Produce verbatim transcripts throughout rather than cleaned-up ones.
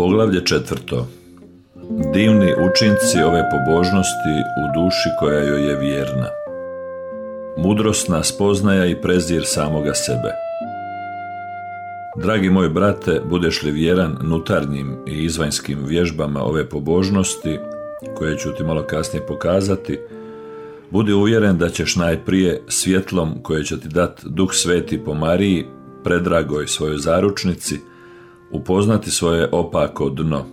Poglavlje četvrto. Divni učinci ove pobožnosti u duši koja joj je vjerna. Mudrosna spoznaja i prezir samoga sebe. Dragi moj brate, budeš li vjeran nutarnjim i izvanjskim vježbama ove pobožnosti, koje ću ti malo kasnije pokazati, budi uvjeren da ćeš najprije svjetlom koje će ti dati Duh Sveti po Mariji, predragoj svojoj zaručnici, upoznati svoje opako dno,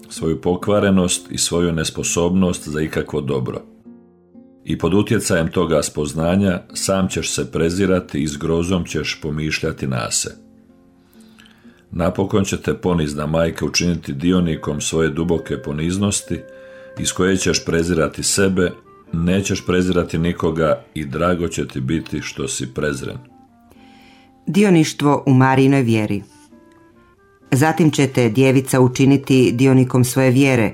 svoju pokvarenost i svoju nesposobnost za ikakvo dobro. I pod utjecajem toga spoznanja sam ćeš se prezirati i s grozom ćeš pomišljati na se. Napokon će te ponizna majka učiniti dionikom svoje duboke poniznosti, iz koje ćeš prezirati sebe, nećeš prezirati nikoga i drago će ti biti što si prezren. Dioništvo u Marijinoj vjeri. Zatim će te djevica učiniti dionikom svoje vjere,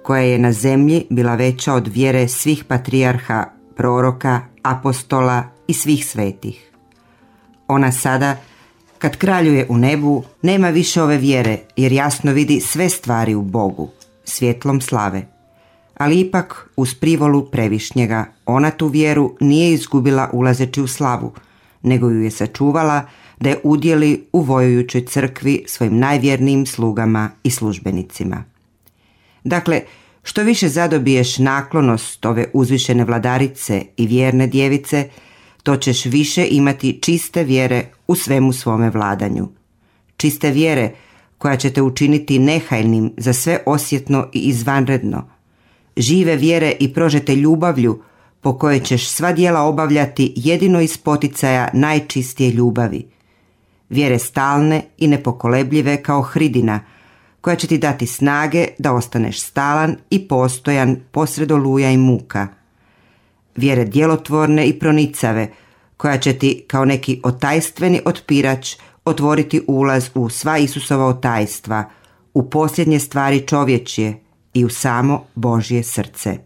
koja je na zemlji bila veća od vjere svih patrijarha, proroka, apostola i svih svetih. Ona sada, kad kraljuje u nebu, nema više ove vjere, jer jasno vidi sve stvari u Bogu, svjetlom slave. Ali ipak, uz privolu Previšnjega, ona tu vjeru nije izgubila ulazeći u slavu, nego ju je sačuvala da je udjeli u vojujućoj crkvi svojim najvjernijim slugama i službenicima. Dakle, što više zadobiješ naklonost ove uzvišene vladarice i vjerne djevice, to ćeš više imati čiste vjere u svemu svome vladanju. Čiste vjere koja će te učiniti nehajnim za sve osjetno i izvanredno. Žive vjere i prožete ljubavlju po kojoj ćeš sva djela obavljati jedino iz poticaja najčistije ljubavi. Vjere stalne i nepokolebljive kao hridina, koja će ti dati snage da ostaneš stalan i postojan posred oluja i muka. Vjere djelotvorne i pronicave, koja će ti kao neki otajstveni otpirač otvoriti ulaz u sva Isusova otajstva, u posljednje stvari čovječje i u samo Božje srce.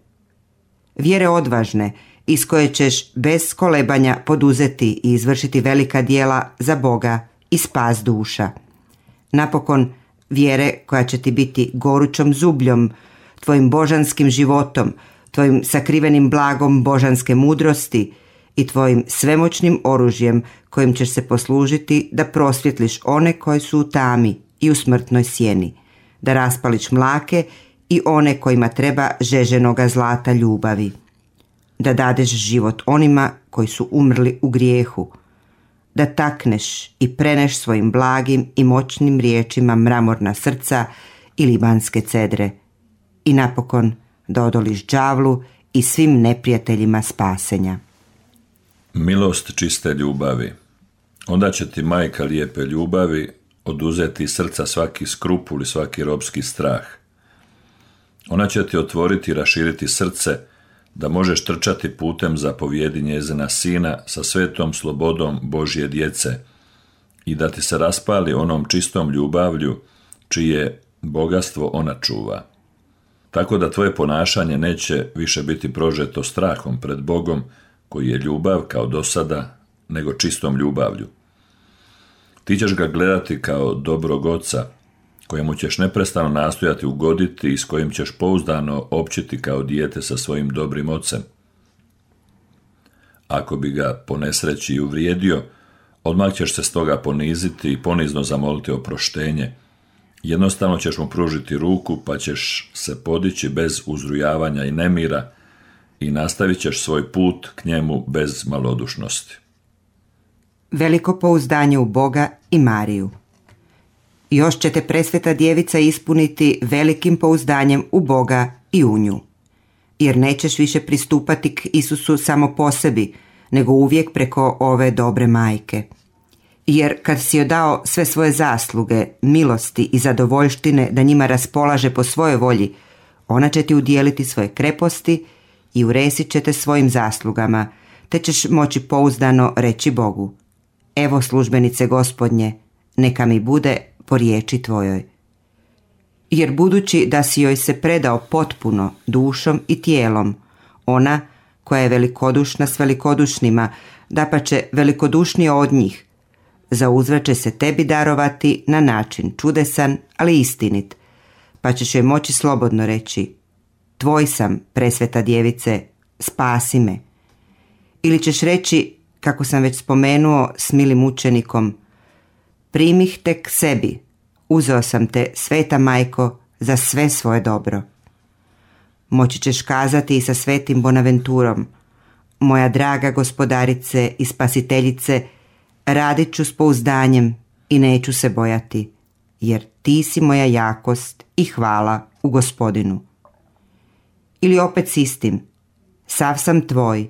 Vjere odvažne, iz koje ćeš bez kolebanja poduzeti i izvršiti velika djela za Boga i spas duša. Napokon, vjere koja će ti biti gorućom zubljom, tvojim božanskim životom, tvojim sakrivenim blagom božanske mudrosti i tvojim svemoćnim oružjem kojim ćeš se poslužiti da prosvjetliš one koji su u tami i u smrtnoj sjeni, da raspališ mlake i one kojima treba žeženoga zlata ljubavi, da dadeš život onima koji su umrli u grijehu, da takneš i preneš svojim blagim i moćnim riječima mramorna srca i libanske cedre i napokon da odoliš đavlu i svim neprijateljima spasenja. Milost čiste ljubavi. Onda će ti majka lijepe ljubavi oduzeti iz srca svaki skrupul i svaki robski strah. Ona će ti otvoriti i raširiti srce da možeš trčati putem zapovjedi njezina sina sa svetom slobodom Božje djece i da ti se raspali onom čistom ljubavlju čije bogatstvo ona čuva. Tako da tvoje ponašanje neće više biti prožeto strahom pred Bogom koji je ljubav kao do sada, nego čistom ljubavlju. Ti ćeš ga gledati kao dobrog oca, kojemu ćeš neprestano nastojati ugoditi i s kojim ćeš pouzdano općiti kao dijete sa svojim dobrim ocem. Ako bi ga po nesreći uvrijedio, odmah ćeš se stoga poniziti i ponizno zamoliti oproštenje. Jednostavno ćeš mu pružiti ruku pa ćeš se podići bez uzrujavanja i nemira i nastavit ćeš svoj put k njemu bez malodušnosti. Veliko pouzdanje u Boga i Mariju. Još će te presveta djevica ispuniti velikim pouzdanjem u Boga i u nju. Jer nećeš više pristupati k Isusu samo po sebi, nego uvijek preko ove dobre majke. Jer kad si joj dao sve svoje zasluge, milosti i zadovoljštine da njima raspolaže po svojoj volji, ona će ti udijeliti svoje kreposti i uresit će te svojim zaslugama, te ćeš moći pouzdano reći Bogu: evo službenice Gospodnje, neka mi bude po riječi tvojoj. Jer budući da si joj se predao potpuno dušom i tijelom, ona koja je velikodušna s velikodušnima, dapače velikodušnija od njih, zauzvrat će se tebi darovati na način čudesan, ali istinit, pa ćeš joj moći slobodno reći: tvoj sam, presveta djevice, spasi me. Ili ćeš reći, kako sam već spomenuo s milim učenikom: primih te k sebi, uzeo sam te, sveta majko, za sve svoje dobro. Moći ćeš kazati i sa svetim Bonaventurom: moja draga gospodarice i spasiteljice, radit ću s pouzdanjem i neću se bojati, jer ti si moja jakost i hvala u Gospodinu. Ili opet s istim: sav sam tvoj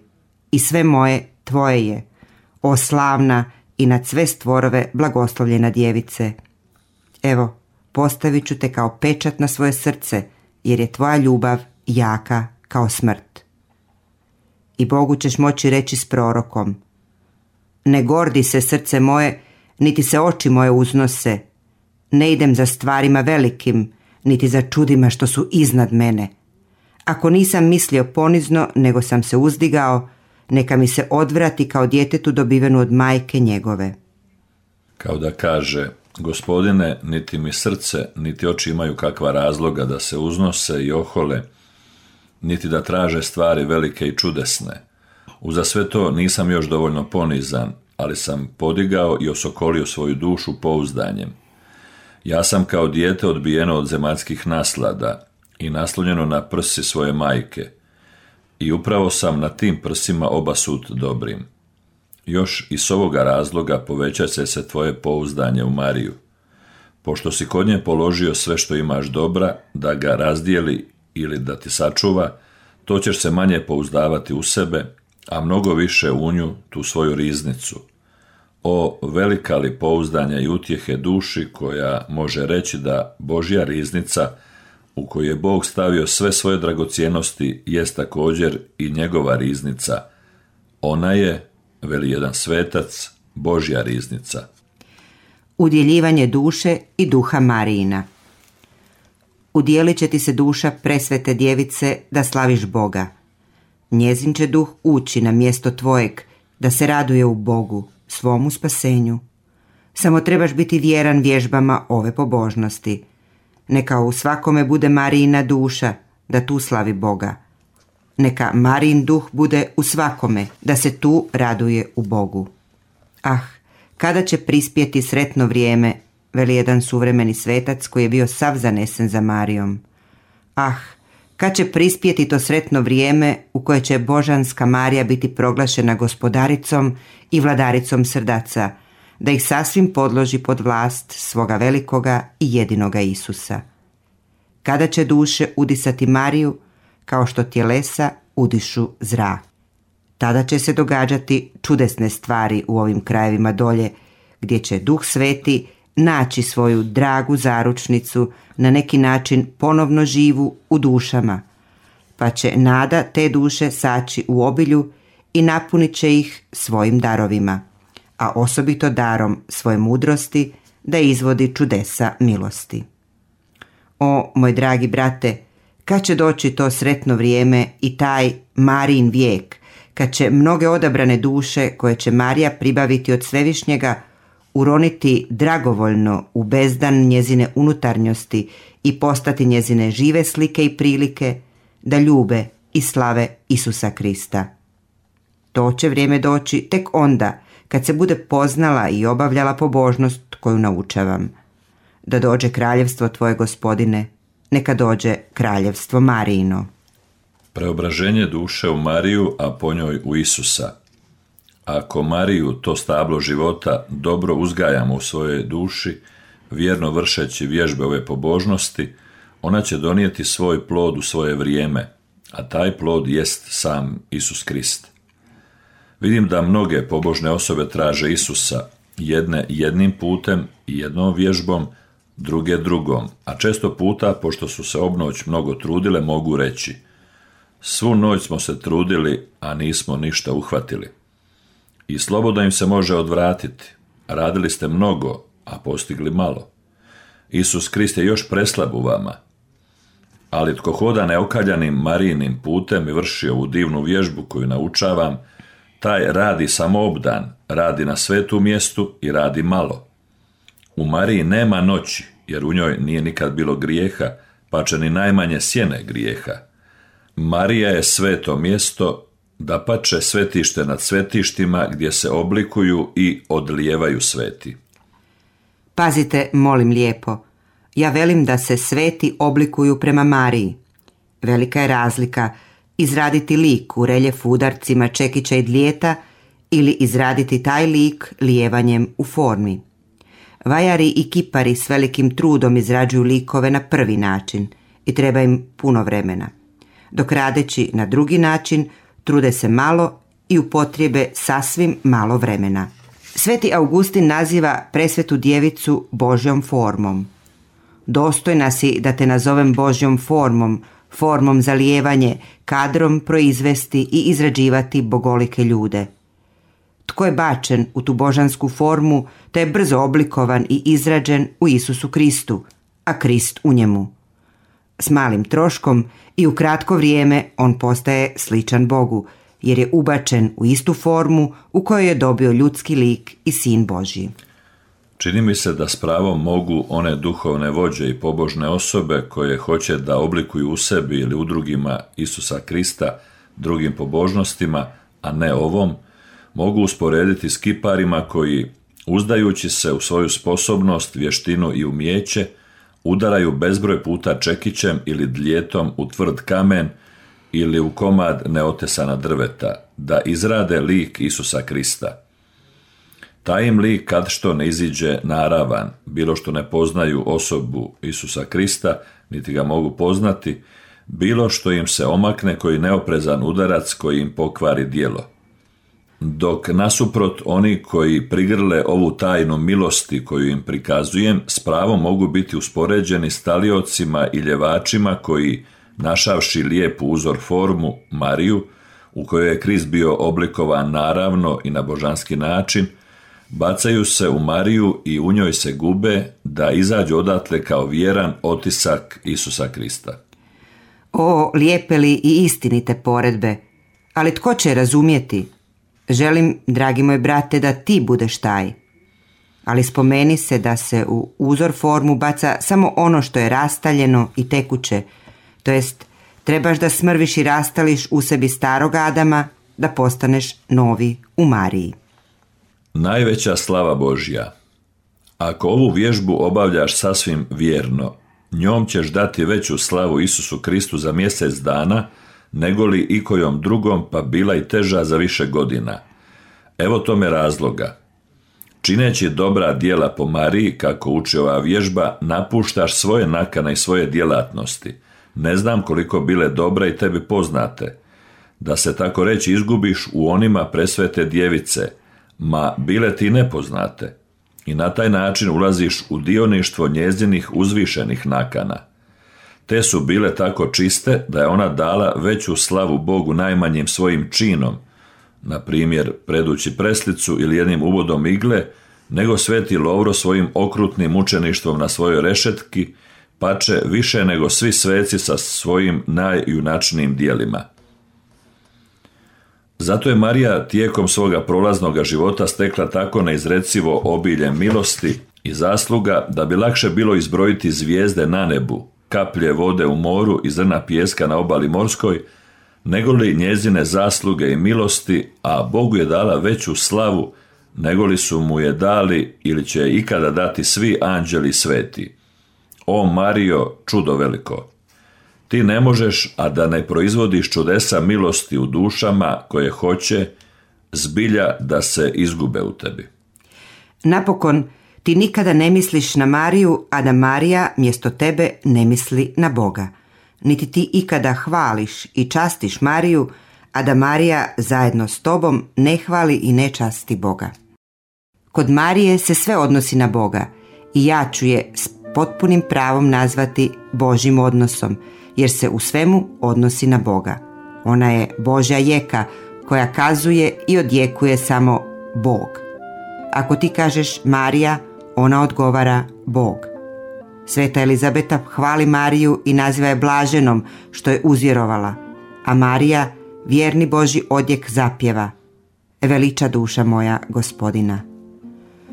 i sve moje tvoje je, o slavna i nad sve stvorove blagoslovljena djevice. Evo, postavit ću te kao pečat na svoje srce, jer je tvoja ljubav jaka kao smrt. I Bogu ćeš moći reći s prorokom: ne gordi se srce moje, niti se oči moje uznose, ne idem za stvarima velikim, niti za čudima što su iznad mene. Ako nisam mislio ponizno, nego sam se uzdigao, neka mi se odvrati kao djetetu dobivenu od majke njegove. Kao da kaže: Gospodine, niti mi srce, niti oči imaju kakva razloga da se uznose i ohole, niti da traže stvari velike i čudesne. Uza sve to nisam još dovoljno ponizan, ali sam podigao i osokolio svoju dušu pouzdanjem. Ja sam kao dijete odbijeno od zemaljskih naslada i naslonjeno na prsi svoje majke, i upravo sam na tim prsima obasut dobrim. Još i s ovoga razloga povećat će se tvoje pouzdanje u Mariju. Pošto si kod nje položio sve što imaš dobra, da ga razdijeli ili da ti sačuva, to ćeš se manje pouzdavati u sebe, a mnogo više u nju, tu svoju riznicu. O, velika li pouzdanja i utjehe duši koja može reći da Božja riznica, u koju je Bog stavio sve svoje dragocjenosti, jest također i njegova riznica. Ona je, veli jedan svetac, Božja riznica. Udjeljivanje duše i duha Marijina. Udjelit će ti se duša presvete djevice da slaviš Boga. Njezin će duh ući na mjesto tvojeg, da se raduje u Bogu, svomu spasenju. Samo trebaš biti vjeran vježbama ove pobožnosti. Neka u svakome bude Marijina duša, da tu slavi Boga. Neka Marijin duh bude u svakome, da se tu raduje u Bogu. Ah, kada će prispjeti sretno vrijeme, veli jedan suvremeni svetac koji je bio sav zanesen za Marijom. Ah, kad će prispjeti to sretno vrijeme u koje će božanska Marija biti proglašena gospodaricom i vladaricom srdaca, da ih sasvim podloži pod vlast svoga velikoga i jedinoga Isusa. Kada će duše udisati Mariju, kao što tjelesa udišu zrak. Tada će se događati čudesne stvari u ovim krajevima dolje, gdje će Duh Sveti naći svoju dragu zaručnicu, na neki način ponovno živu u dušama, pa će nada te duše saći u obilju i napunit će ih svojim darovima, a osobito darom svoje mudrosti da izvodi čudesa milosti. O, moj dragi brate, kad će doći to sretno vrijeme i taj Marijin vijek, kad će mnoge odabrane duše koje će Marija pribaviti od Svevišnjega uroniti dragovoljno u bezdan njezine unutarnjosti i postati njezine žive slike i prilike, da ljube i slave Isusa Krista. To će vrijeme doći tek onda kad se bude poznala i obavljala pobožnost koju naučavam. Da dođe kraljevstvo tvoje, Gospodine, neka dođe kraljevstvo Marijino. Preobraženje duše u Mariju, a po njoj u Isusa. Ako Mariju, to stablo života, dobro uzgajamo u svojoj duši, vjerno vršeći vježbe ove pobožnosti, ona će donijeti svoj plod u svoje vrijeme, a taj plod jest sam Isus Krist. Vidim da mnoge pobožne osobe traže Isusa, jedne jednim putem i jednom vježbom, druge drugom, a često puta, pošto su se obnoć mnogo trudile, mogu reći: svu noć smo se trudili, a nismo ništa uhvatili. I slobodno im se može odvratiti: radili ste mnogo, a postigli malo. Isus Krist je još preslab u vama. Ali tko hoda neokaljanim Marijinim putem i vrši ovu divnu vježbu koju naučavam, taj radi samo obdan, radi na svetu mjestu i radi malo. U Mariji nema noći, jer u njoj nije nikad bilo grijeha, pače ni najmanje sjene grijeha. Marija je sveto mjesto, dapače svetište nad svetištima gdje se oblikuju i odlijevaju sveti. Pazite, molim lijepo, ja velim da se sveti oblikuju prema Mariji. Velika je razlika izraditi lik u reljefu udarcima čekića i dlijeta ili izraditi taj lik lijevanjem u formi. Vajari i kipari s velikim trudom izrađuju likove na prvi način i treba im puno vremena, dok radeći na drugi način trude se malo i upotrijebe sasvim malo vremena. Sveti Augustin naziva presvetu djevicu Božjom formom. Dostojna si da te nazovem Božjom formom, formom za lijevanje, kadrom proizvesti i izrađivati bogolike ljude. Tko je bačen u tu božansku formu, te je brzo oblikovan i izrađen u Isusu Kristu, a Krist u njemu. S malim troškom i u kratko vrijeme on postaje sličan Bogu, jer je ubačen u istu formu u kojoj je dobio ljudski lik i Sin Božji. Čini mi se da s pravom mogu one duhovne vođe i pobožne osobe koje hoće da oblikuju u sebi ili u drugima Isusa Krista drugim pobožnostima, a ne ovom, mogu usporediti s kiparima koji, uzdajući se u svoju sposobnost, vještinu i umijeće, udaraju bezbroj puta čekićem ili dljetom u tvrd kamen ili u komad neotesana drveta, da izrade lik Isusa Krista. Taj im lik kad što ne iziđe naravan, bilo što ne poznaju osobu Isusa Krista, niti ga mogu poznati, bilo što im se omakne koji neoprezan udarac koji im pokvari djelo. Dok nasuprot oni koji prigrle ovu tajnu milosti koju im prikazujem, s pravom mogu biti uspoređeni s taliocima i ljevačima koji, našavši lijepu uzor formu, Mariju, u kojoj je Krist bio oblikovan naravno i na božanski način, bacaju se u Mariju i u njoj se gube da izađu odatle kao vjeran otisak Isusa Krista. O, lijepe li i istinite poredbe, ali tko će razumjeti? Želim, dragi moj brate, da ti budeš taj. Ali spomeni se da se u uzor formu baca samo ono što je rastaljeno i tekuće, to jest trebaš da smrviš i rastališ u sebi starog Adama, da postaneš novi u Mariji. Najveća slava Božja. Ako ovu vježbu obavljaš sasvim vjerno, njom ćeš dati veću slavu Isusu Kristu za mjesec dana, nego li ikojom drugom, pa bila i teža za više godina. Evo tome razloga. Čineći dobra djela po Mariji, kako uči ova vježba, napuštaš svoje nakane i svoje djelatnosti. Ne znam koliko bile dobra i tebi poznate. Da se tako reći izgubiš u onima presvete djevice, ma bile ti nepoznate. I na taj način ulaziš u dioništvo njezinih uzvišenih nakana. Te su bile tako čiste da je ona dala veću slavu Bogu najmanjim svojim činom, na primjer predući preslicu ili jednim uvodom igle, nego sveti Lovro svojim okrutnim mučeništvom na svojoj rešetki, pače više nego svi sveci sa svojim najjunačnijim djelima. Zato je Marija tijekom svoga prolaznoga života stekla tako neizrecivo obilje milosti i zasluga da bi lakše bilo izbrojiti zvijezde na nebu, kaplje vode u moru i zrna pijeska na obali morskoj, nego li njezine zasluge i milosti, a Bogu je dala veću slavu nego li su mu je dali ili će ikada dati svi anđeli sveti. O Marijo, čudo veliko! Ti ne možeš, a da ne proizvodiš čudesa milosti u dušama koje hoće zbilja da se izgube u tebi. Napokon, ti nikada ne misliš na Mariju, a da Marija mjesto tebe ne misli na Boga. Niti ti ikada hvališ i častiš Mariju, a da Marija zajedno s tobom ne hvali i ne časti Boga. Kod Marije se sve odnosi na Boga i ja ću je s potpunim pravom nazvati Božjim odnosom, jer se u svemu odnosi na Boga. Ona je Božja jeka koja kazuje i odjekuje samo Bog. Ako ti kažeš Marija, ona odgovara Bog. Sveta Elizabeta hvali Mariju i naziva je blaženom što je uzvjerovala, a Marija vjerni Božji odjek zapjeva: veliča duša moja Gospodina.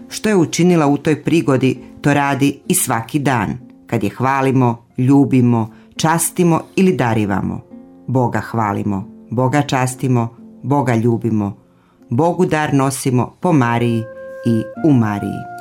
Što je učinila u toj prigodi, to radi i svaki dan, kad je hvalimo, ljubimo, častimo ili darivamo. Boga hvalimo, Boga častimo, Boga ljubimo, Bogu dar nosimo po Mariji i u Mariji.